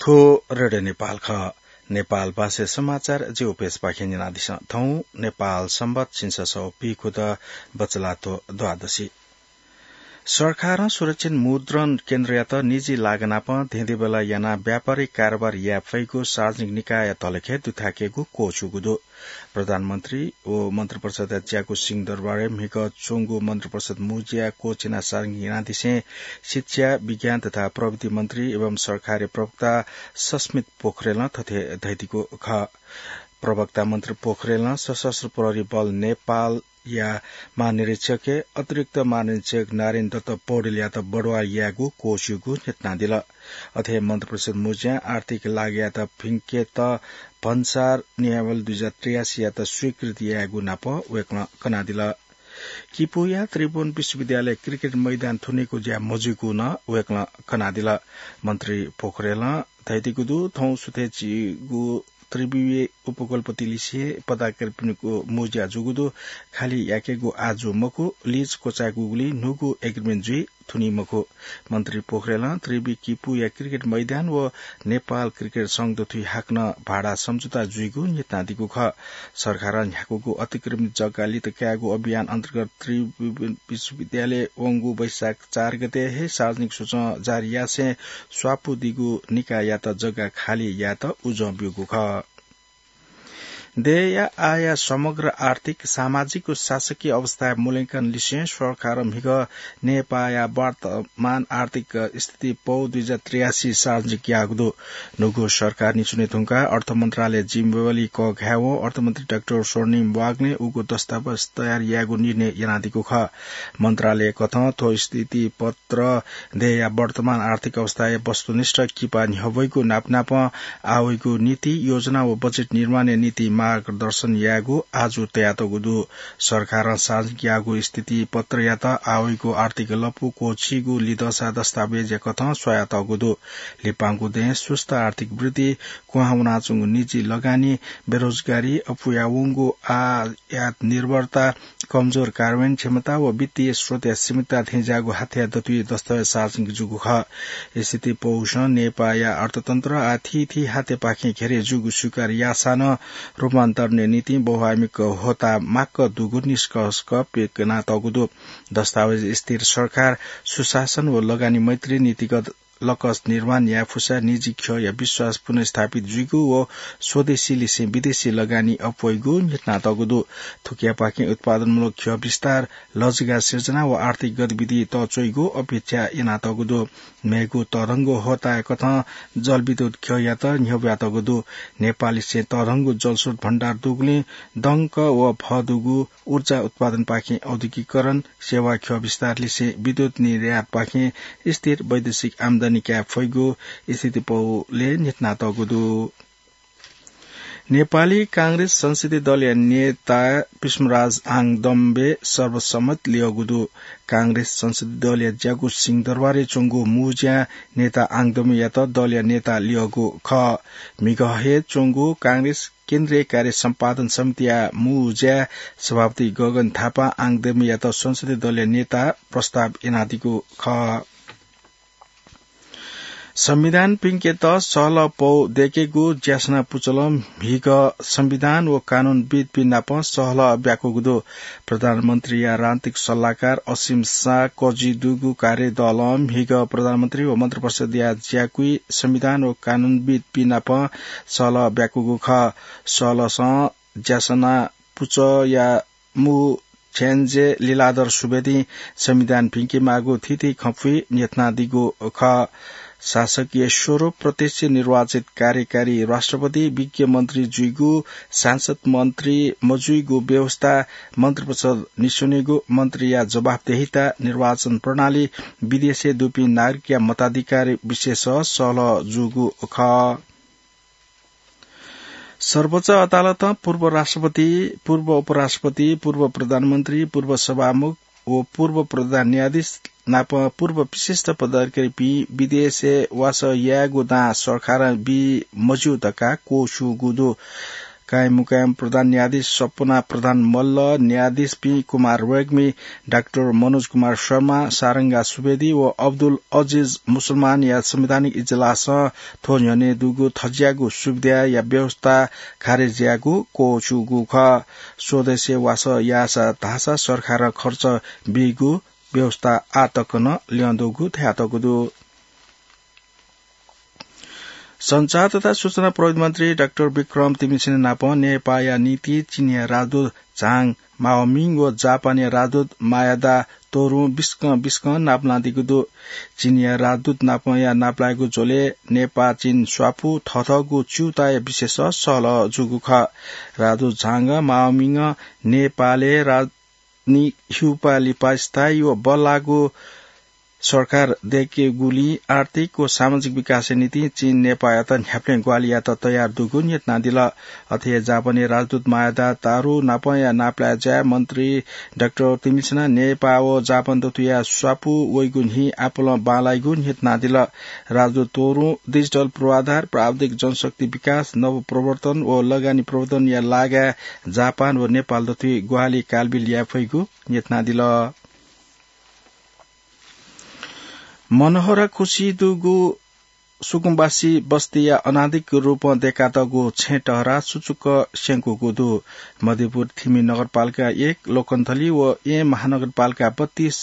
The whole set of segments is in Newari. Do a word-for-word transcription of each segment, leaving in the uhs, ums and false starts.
थ्व रेडियो नेपाल खः। नेपाल भाषा समाचार ज्यू पेजपाखें न्यनादिसँ। थौं नेपाल संवत झिंछसः पीखुद बचलाथ्व द्वादशी। सरकारं सुरक्षित मुद्रण केन्द्रयात निजी लागनापं धेंधेबेला यानाः व्यापारिक कारोबार याये फइगु सार्वजनिक निकाय तलखे दुथ्याकेगु क्वःछिउगु दु। प्रधानमन्त्री व मन्त्रिपरिषदया ज्याकू सिंहदरबारय् म्हिगः च्वंगु मन्त्रिपरिषद मुँज्या क्वःछिना सार्वजनिक यानादिसें शिक्षा, विज्ञान तथा प्रविधि मन्त्री एवं सरकारी प्रवक्ता सस्मित पोखरेलं थथे धयादीगु खः। प्रवक्ता मन्त्री पोखरेलं सशस्त्र प्रहरी बल नेपाल या महानिरीक्षकय् अतिरिक्त महानिरीक्षक नारायण दत्त पौडेलयात बढुवा यायेगु क्वःछिउगु न्ह्यथनादिल। अथे मन्त्रिपरिषद मुँज्यां आर्थिक लागयात फिंकेत भन्सार नियमावली दुई हजार त्रियासी यात स्वीकृति यायेगु नाप वय्कलं कनादिल। किपूया त्रिभुवन विश्वविद्यालय क्रिकेट मैदान थुनीगु ज्या मजुइगु नं वय्कलं कनादिल। मन्त्री पोखरेलं धयादीगु दु, थौं सुथय् झीगु त्रिविवे उपकुलपति लिसे पदाधिकारीपिनिगु मुँज्या जूगु दु। खाली याकेगु आः जू मखु, लीज क्वचायेगुगुलिं न्हूगु एग्रिमेन्ट जुइ थुनी मखु। मन्त्री पोखरेलं त्रिवि किपूया क्रिकेट मैदान व नेपाल क्रिकेट संघ दथुइ हाकनं भाडा सम्झौता जुइगु न्ह्यथनादीगु खः। सरकारं न्ह्याकूगु अतिक्रमित जग्गा लित कायेगु अभियान अन्तर्गत त्रिवि विश्वविद्यालय वंगु वैशाख चार गते हे सार्वजनिक सूचं जारी यासें स्वापूदीगु निकाययात जग्गा खाली यायेत उजं ब्यूगु खः। देय्‌या आःया समग्र आर्थिक, सामाजिक व शासकीय अवस्थाया मूल्यांकन लिसें सरकारं म्हिगः नेपाःया वर्तमान आर्थिक स्थिति पौ दुई हजार त्रियासी सार्वजनिक याःगु दु। न्हूगु सरकार निच्वने धुंकाः अर्थ मन्त्रालय जिम्मेवारी कःघायेवं अर्थमन्त्री डाक्टर स्वर्णिम वाग्लें उगु दस्तावेज तयार यायेगु निर्णय यानादीगु खः। मन्त्रालयकथं थ्व स्थिति पत्र देय्‌या वर्तमान आर्थिक अवस्थाया वस्तुनिष्ठ किपा न्ह्यब्वइगु नापनापं आःवइगु नीति योजना व बजेट निर्माणया निंतिं मार्गदर्शन यायेगु आजु तयातःगु दु। सरकारं सार्वजनिक याःगु स्थिति पत्रयात आःवइगु आर्थिक लँपु क्वःछिइगु लिधंसा दस्तावेजया कथं स्वयातःगु दु। लिपांगु दँय् सुस्त आर्थिक वृद्धि, क्वहां वनाच्वंगु निजी लगानी, बेरोजगारी, अप्वया वंगु आयात निर्भरता, कमजोर कार्यान्वयन क्षमता व वित्तीय स्रोतया सीमितता थेंज्याःगु हाथ्या दथुइ दस्तावेज सार्वजनिक जूगु खः। स्थिति पौसं नेपाःया अर्थतन्त्र आः थीथी हाथ्यापाखें घेरे जूगु स्वीकार याःसां नं रूपान्तरणया निंतिं बहुआयामिक होता माक्क दुगु निष्कर्ष पिकनातःगु दु। दस्तावेज स्थिर सरकार, सुशासन व लगानी मैत्री नीतिगत लकस निर्माण याये फुसा निजी ख्यःया विश्वास पुनर्स्थापित जुइगु व स्वदेशी लिसें विदेशी लगानी अप्वइगु न्ह्यथनातःगु दु। थुकियापाखें उत्पादनमूलक ख्यः विस्तार, लजगाः सिर्जना व आर्थिक गतिविधि तःच्वइगु अपेक्षा यानातःगु दु। मेगु तःधंगु होताया कथं जलविद्युत ख्यःयात न्ह्यब्वयातःगु दु। नेपाललिसें तःधंगु जलस्रोत भण्डार दुगुलिं दंक व भः दुगु ऊर्जा उत्पादनपाखें औद्योगिकीकरण, सेवा ख्यः विस्तार लिसें विद्युत निर्यातपाखें स्थिर वैदेशिक आम्दानी काये फइगु स्थिति पौले न्ह्यथनातःगु दु। नेपाली कांग्रेस संसदीय दलया नेता विष्णुराज आङदम्बे सर्वसम्मत लियःगु दु। कांग्रेस संसदीय दलया ज्याकू सिंहदरबारय् च्वंगु मुँज्यां नेता आङदम्बेयात दलया नेता लियःगु खः। म्हिगः हे च्वंगु कांग्रेस केन्द्रीय कार्य सम्पादन समितिया मुँज्याय् सभापति गगन थापां आङदम्बेयात संसदीय दलया नेता प्रस्ताव यानादीगु खः। संविधान पिंकेत सहलह पौ दय्‌केगु ज्यासना पुचलं म्हिगः संविधान व कानूनविद्‌पिं नाप सहलह ब्याकूगु दु। प्रधानमन्त्रीया राजनीतिक सल्लाहकार असीम शाह कजि दुगु कार्यदलं म्हिगः प्रधानमन्त्री व मन्त्रिपरिषदया ज्याकुइ संविधान व कानूनविद्‌पिं नाप सहलह ब्याकूगु खः। सहलहसं ज्यासना पुचःया मू छ्याञ्जे लीलाधर सुवेदीं संविधान भिंकेमाःगु थीथी खँपुइ न्ह्यथनादीगु खः। शासकीय स्वरूप प्रत्यक्ष निर्वाचित कार्यकारी राष्ट्रपति, विज्ञ मन्त्री जुइगु, सांसद मन्त्री मजुइगु व्यवस्था, मन्त्रिपरिषद निस्वनेगु, मन्त्रीया जवाफदेहिता, निर्वाचन प्रणाली, विदेशय् दुपिं नागरिकया मताधिकार विषयस सहलह जूगु खः। सर्वोच्च अदालतं पूर्व राष्ट्रपति, पूर्व उपराष्ट्रपति, पूर्व प्रधानमन्त्री, पूर्व सभामुख व पूर्व प्रधान न्यायाधीश नाप पूर्व विशिष्ट पदाधिकारीपिं विदेशय् वासः यायेगु दां सरकारं बी मज्यू धकाः क्वःछिउगु दु। कायममुकायम प्रधान न्यायाधीश सपना प्रधान मल्ल, न्यायाधीशपिं कुमार रेग्मी, डाक्टर मनोज कुमार शर्मा, सारंगा सुवेदी व अब्दुल अजिज मुसलमानया संवैधानिक इजलासं थ्व न्ह्यःने दुगु थज्याःगु सुविधाया व्यवस्था खारेज यायेगु क्वःछिउगु खः। स्वदेशय् वासः याःसा धाःसा सरकारं खर्च बीगु व्यवस्था आः तक नं ल्यं दुगु धयातःगु दु। सञ्चार तथा सूचना प्रविधि मन्त्री डाक्टर विक्रम तिमिसिन नाप नेपाःया निंतिं चीनया राजदूत झाङ माओमिङ व जापानया राजदूत मायादा तोरुं बिस्कं बिस्कं नापलानादीगु दु। चीनया राजदूत नापया नापलायेगु झ्वलय् नेपाः चीन स्वापू थःथःगु च्यूताया विषयस सहलह जूगु खः। राजदूत झाङ माओमिङं नेपालय् राज नि हिउपाः लिपा स्थायी व बल्लाःगु सरकार दय्केगुलिं आर्थिक व सामाजिक विकासया निंतिं चीन नेपाःयात न्ह्याबलें ग्वाहालि यायेत तयार दुगु न्ह्यथनादिल। अथे हे जापानी राजदूत मायादा तारु नापया नापलाये ज्याय् मन्त्री डाक्टर तिमिसिनं नेपाः व जापान दथुया स्वापू वइगु न्हि आपालं बांलाइगु न्ह्यथनादिल। राजदूत तोरुं डिजिटल पूर्वाधार, प्राविधिक जनशक्ति विकास, नवप्रवर्तन व लगानी प्रवर्धनया लागाय् जापान व नेपाल दथुइ ग्वाहालि कालबिल याये फइगु न्ह्यथनादिल। मनोहरा खुसी दुगु सुकुम्बासी बस्तीया अनाधिकृत रूपं दय्कातःगु छेँ टहरा सुचुक्क स्यंकूगु दु। मध्यपुर थिमि नगरपालिका एक, लोकन्थली व येँ महानगरपालिका बत्तीस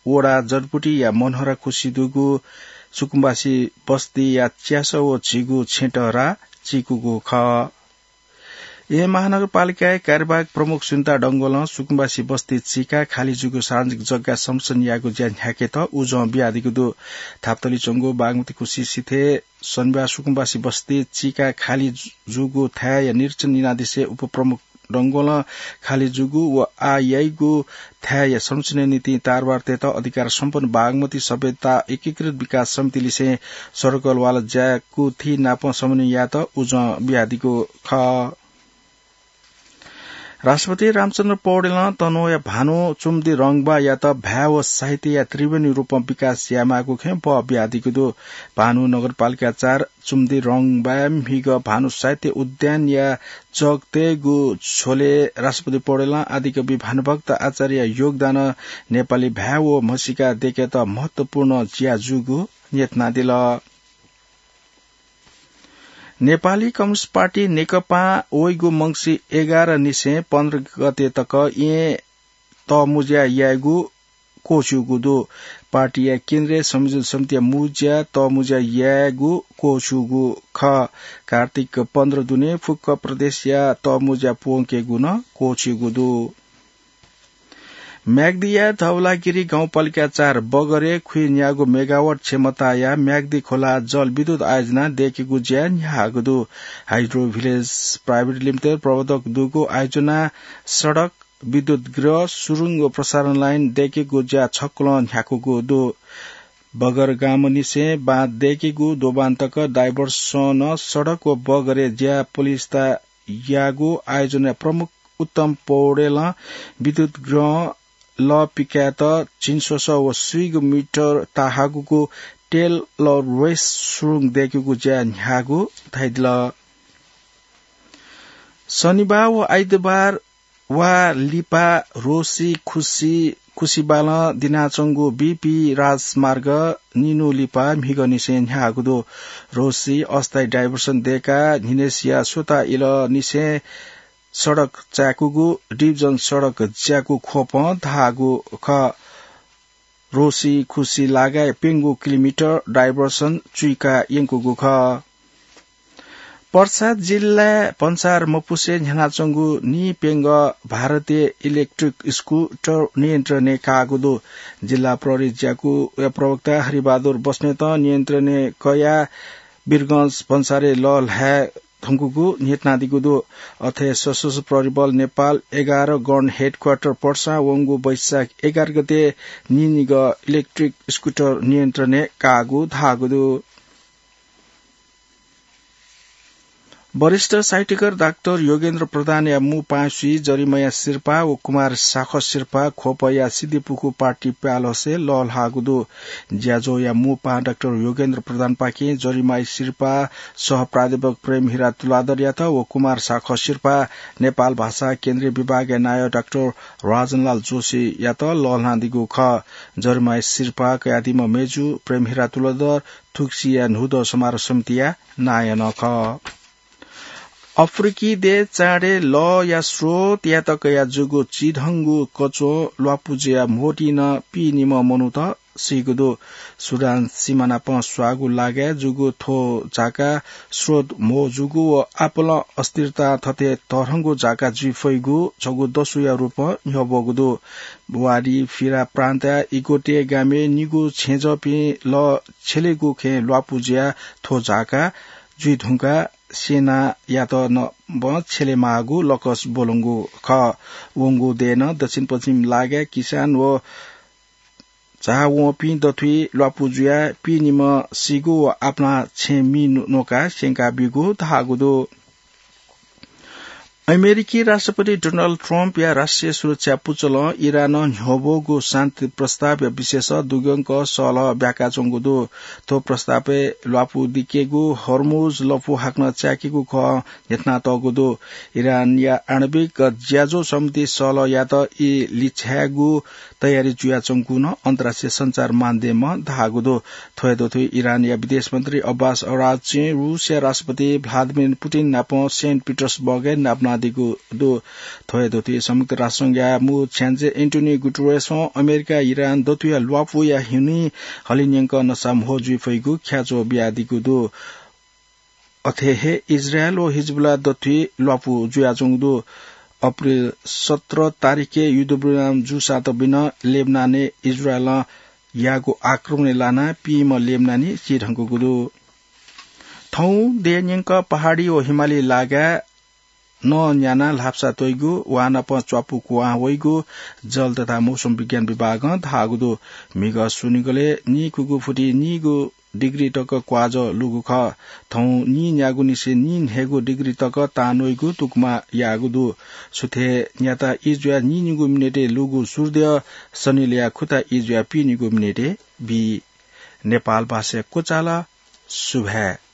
वडा जडपुटीया मनोहरा खुसी दुगु सुकुम्बासी बस्तीया च्यासः व झीगु छेँ टहरा चीकूगु खः। येँ महानगरपालिकाया कार्यवाहक प्रमुख सुनिता डंगोलं सुकुम्बासी बस्ती चीकाः खालि जूगु सार्वजनिक जग्गा संरक्षण यायेगु ज्या न्ह्याकेत उजं बियादीगु दु। थापातली च्वंगु बागमती खुसी सिथय् शनिबार सुकुम्बासी बस्ती चीकाः खालि जूगु थाय्‌या निरीक्षण यानादिसें उपप्रमुख डंगोलं खालि जूगु व आः याइगु थाय्‌या संरक्षणया निंतिं तरवार तयेत अधिकार सम्पन्न बागमती सभ्यता एकीकृत विकास समितिलिसें सडकवाला ज्याकुथि नाप समन्वय यायेत उजं बियादीगु खः। राष्ट्रपति रामचन्द्र पौडेलं तनहुँया भानु चुम्दी रंगबायात भाय् व साहित्यया त्रिवेणी रूपं विकास यायेमाःगु खँय् बः बियादीगु दु। भानु नगरपालिका चार चुम्दी रंगबाय् म्हिगः भानु साहित्य उद्यानया जग तयेगु झ्वलय् राष्ट्रपति पौडेलं आदिकवि भानुभक्त आचार्यया योगदानं नेपाली भाय् व म्हसीका दय्केत महत्वपूर्ण ज्या जूगु न्ह्यथनादिल। नेपाली कम्युनिस्ट पार्टी नेकपां वइगु मंसिर एघार निसें पन्ध्र गते तक येँ तःमुँज्या यायेगु क्वःछिउगु दु। पार्टीया केन्द्रीय संयोजन समितिया मुँज्या तःमुँज्या यायेगु क्वःछिउगु खः। कार्तिक पन्ध्र दुने फुक्क प्रदेशया तःमुँज्या प्वंकेगु नं क्वःछिउगु दु। म्याग्दीया धवलागिरी गाउँपालिका चार बगरय् खुइन्यागू मेगावाट क्षमताया म्याग्दी खोला जलविद्युत आयोजना दय्केगु ज्या न्ह्याःगु दु। हाइड्रो भिलेज प्राइभेट लिमिटेड प्रवर्तक दुगु आयोजना सडक, विद्युत गृह, सुरुङ व प्रसारण लाइन दय्केगु ज्या छक्वलं न्ह्याकूगु दु। बगर गामनिसें बाँध दय्केगु दोबान तक डाइभर्सन सडक व बगरय् ज्या पलिस्था याःगु आयोजनाया प्रमुख उत्तम पौडेलं विद्युत गृहं लः पिकायेत झिंस्वसः व स्वीगू मिटर ताहाकूगु टेलर रेस सुरुङ दय्केगु ज्या न्ह्याःगु धयादिल। शनिबार व आइतबार वा लिपा रोसी खुसी खुसिबालं दिनाच्वंगु बीपी राजमार्ग निन्हु लिपा म्हिगःनिसें न्ह्याःगु दु। रोसी अस्थायी डाइभर्सन दय्काः न्हिनय्सिया स्वता इलंनिसें सडक चाय्कूगु डिभिजन सडक ज्याकू ख्वपं धाःगु खः। रोसी खुसी लागाय् प्यंगू किलोमिटर डाइभर्सन चुइका यंकूगु खः। पर्सा जिल्लाय् भन्सार मपुसे न्ह्यानाच्वंगु नीप्यंगः भारतीय इलेक्ट्रिक स्कुटर नियन्त्रणय् काःगु दु। जिल्ला प्रहरी ज्याकूया प्रवक्ता हरिबहादुर बस्नेतं नियन्त्रणय् कयाः वीरगंज भन्सारय् लःल्हाये धुंकूगु न्ह्यथनादीगु दु। अथे सशस्त्र प्रहरी बल नेपाल एघार गण हेडक्वार्टर पर्सां वंगु वैशाख एघार गते नीनिगः इलेक्ट्रिक स्कुटर नियन्त्रणय् काःगु धाःगु दु। वरिष्ठ साहित्यकार डाक्टर योगेन्द्र प्रधानया मू पाँय्सुइ जरिमया सिरपाः व कुमार साख सिरपाः ख्वपया सिद्धिपुखु पार्टी प्यालसे लःल्हाःगु दु। ज्याझ्वःया मू पाहां डाक्टर योगेन्द्र प्रधानपाखें जरिमाया सिरपाः सह प्राध्यापक प्रेम हिरा तुलाधरयात व कुमार साख सिरपाः नेपाल भाषा केन्द्रीय विभागया नायः डाक्टर राजनलाल जोशीयात लःल्हानादीगु खः। जरिमाया सिरपाः कयादीम्ह मय्जु प्रेम हिरा तुलाधर थुगुसीया न्हूदँ समारोह समितिया नायः नं खः। अफ्रिकी देय् चाँडय् लःया स्रोतयात कयाः जूगु चिधंगु कच्वं ल्वापु जुयाः म्होतिं नं पीनिम्ह मनूत सीगु दु। सुडान सिमानापं स्वाःगु लागाय् जूगु थ्व झाका स्रोत म्हो जूगु व आपालं अस्थिरतां थथे तःधंगु झाका जुइ फइगु छगू दसुया रूपं न्ह्यब्वःगु दु। वाडी फिरा प्रान्तया इगोटे गामय् निगू छेँजःपिं लः छ्यलेगु खँय् ल्वापु जुयाः थ्व झाका जुइ धुंकाः सेनायात नं छ्यलेमाःगु लकस ब्वलंगु खः। वंगु देय् नं दक्षिण पश्चिम लागाय् किसान व झाः वंपिं दथुइ ल्वापु जुयाः पीनिम्ह सीगु व आपालं छेँ मि न्वकाः स्यंकाबीगु धाःगु दु। अमेरिकी राष्ट्रपति डोनाल्ड ट्रम्पया राष्ट्रिय सुरक्षा पुचलं इरानं न्ह्यब्वःगु शान्ति प्रस्तावया विषयस दुग्यंक सहलह ब्याकाच्वंगु दु। थ्व प्रस्तावय् ल्वापु दिकेगु, हर्मुज लँपु हाकनं च्याकेगु खँ न्ह्यथनातःगु दु। इरानया आणविक ज्याझ्वः समिति सहलह यायेत ई लिछ्यायेगु तयारी जुयाच्वंगु नं अन्तर्राष्ट्रिय सञ्चार माध्यमं धाःगु दु। थ्व हे दथुइ इरानया विदेश मन्त्री अब्बास अराग्चीं रूसया राष्ट्रपति भ्लादिमिर पुतिन नाप सेन्ट पिटर्सबर्गय् नापलानादीगु दु। थ्व हे दथुइ संयुक्त राष्ट्र संघया मू छ्याञ्जे एन्टोनियो गुटेरेसं अमेरिका इरान दथुया ल्वापुया हिन्हुइ हलिंन्यंक नसा म्हो जुइ फइगु ख्याच्वः बियादीगु दु। अथे हे इजरायल व हिजबुल्ला दथुइ ल्वापु जुयाच्वंगु दु। अप्रिल सत्र तारिखय् युद्धविराम जूसां तबि नं लेबनानय् इजरायलं याःगु आक्रमणय् लानाः पीम्ह लेबनानी चिधंकूगु दु। थौं देय् न्यंक पहाडी व हिमाली लागाय् नं न्यानाः ल्हापसा त्वइगु, वांनाप च्वापु कुहां वइगु जल तथा मौसम विज्ञान विभागं धाःगु दु। म्हिगः स्वनिगलय् नीखुगू फुति नीगू डिग्री तक क्वाःजः लूगु खः। थौं नीन्यागूनिसें नीन्हय्गू डिग्री तक तांन्वइगु तुकमा याःगु दु। सुथय् न्याता ई जुयाः नीनिगू मिनेटय् लूगु सूर्यद्यः सनिलया खुता ई जुयाः पीनिगू मिनेटय् बी। नेपाल भाषाय् क्वचाल। सुभाय्।